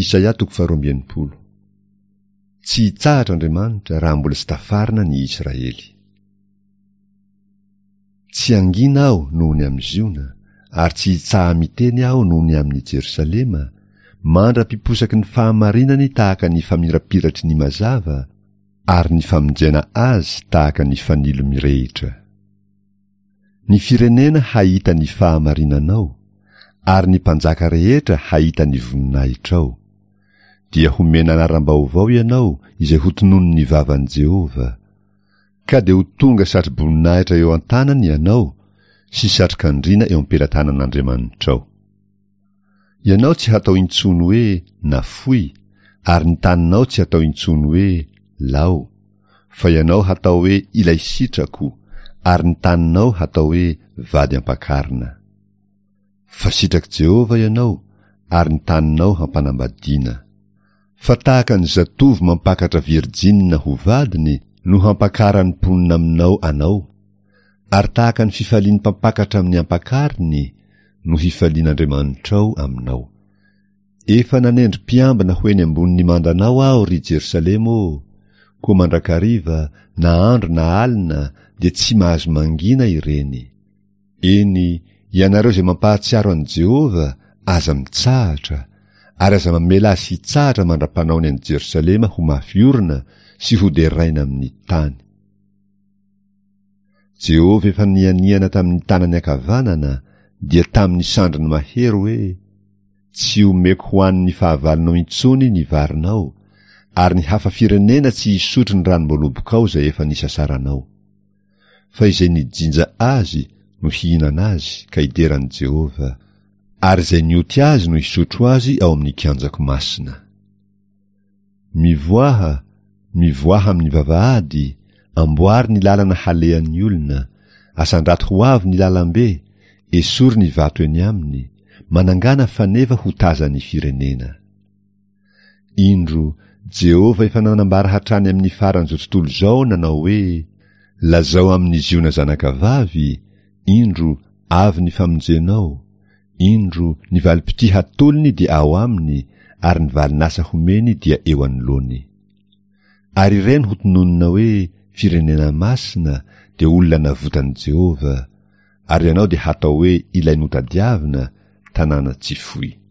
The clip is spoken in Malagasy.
Isaia toko faharoa amby enimpolo. Tsy hitsahatra Andriamanitra raha mbola tsy tafarina ny Israely. Tsy hangina aho noho ny amin'i Ziona, ary tsy hitsaha-miteny aho noho ny amin'i Jerosalema, mandra-piposaky ny fahamarinany tahaka ny famirapiratry ny mazava, ary ny famonjena azy tahaka ny fanilo mirehitra. Ny firenena hahita ny fahamarinanao, ary ny mpanjaka rehetra hahita ny voninahitrao. Dia homena anaram-baovao ianao izay hotononin'ny vavan'i Jehovah. Ka dia ho tonga satro-boninahitra eo an-tanany ianao sy satrok'andriana eo am-pelatanan'Andriamanitrao. Ianao tsy hatao intsony hoe nafoy, ary ny taninao tsy hatao intsony hoe lao, fa ianao hatao hoe ilay sitrako, ary ny taninao hatao hoe vady ampakarina. Fa sitrak'i Jehovah ianao, ary ny taninao hampanambadiana. Fa tahaka ny zatovo mampakatra virjinina ho vadiny no hampakaran'ny mponina aminao anao, ary tahaka ny fifalian'ny mpampakatra amin'ny ampakariny no hifalian'Andriamanitrao aminao. Efa nanendry mpiambina ho eny ambonin'ny mandanao aho, ry Jerosalema ô, koa mandrakariva, na andro na alina, dia tsy mahazo mangina ireny. Eny, ianareo izay mampahatsiaro an'i Jehovah, aza mitsahatra, ary aza mamela azy hitsahatra mandra-panaony an'i Jerosalema ho mafy orina sy hoderaina amin'ny tany. Jehovah efa nianiana tamin'ny tanany ankavanana, dia tamin'ny sandriny mahery hoe, Tsy omeko ho an'ny fahavalonao intsony ny varinao, ary ny hafa firenena tsy hisotro ny ranom-boalobokao izay efa nisasaranao. Fa izay nijinja azy no hihinana azy ka hidera an'i Jehovah, ary izay nioty azy no hisotro azy ao amin'ny kianjako masina. Mivoaha, mivoaha amin'ny vavahady, amboary ny lalana halehan'ny olona, asandrato ho avo ny lalambe, esory ny vato eny aminy, manangàna faneva ho tazan'ny firenena. Indro, Jehovah efa nanambara hatrany amin'ny faran'izao tontolo izao nanao hoe, Lazao amin'i Ziona zanakavavy, indro, avy ny famonjenao, indro, ny valim-pitia hatolony dia ao aminy, ary ny valin'asa homeny dia eo anoloany. Ary ireny hotononina hoe firenena masina dia olona navotan'i Jehovah, ary ianao dia hatao hoe ilay notadiavina, tanàna tsy foy.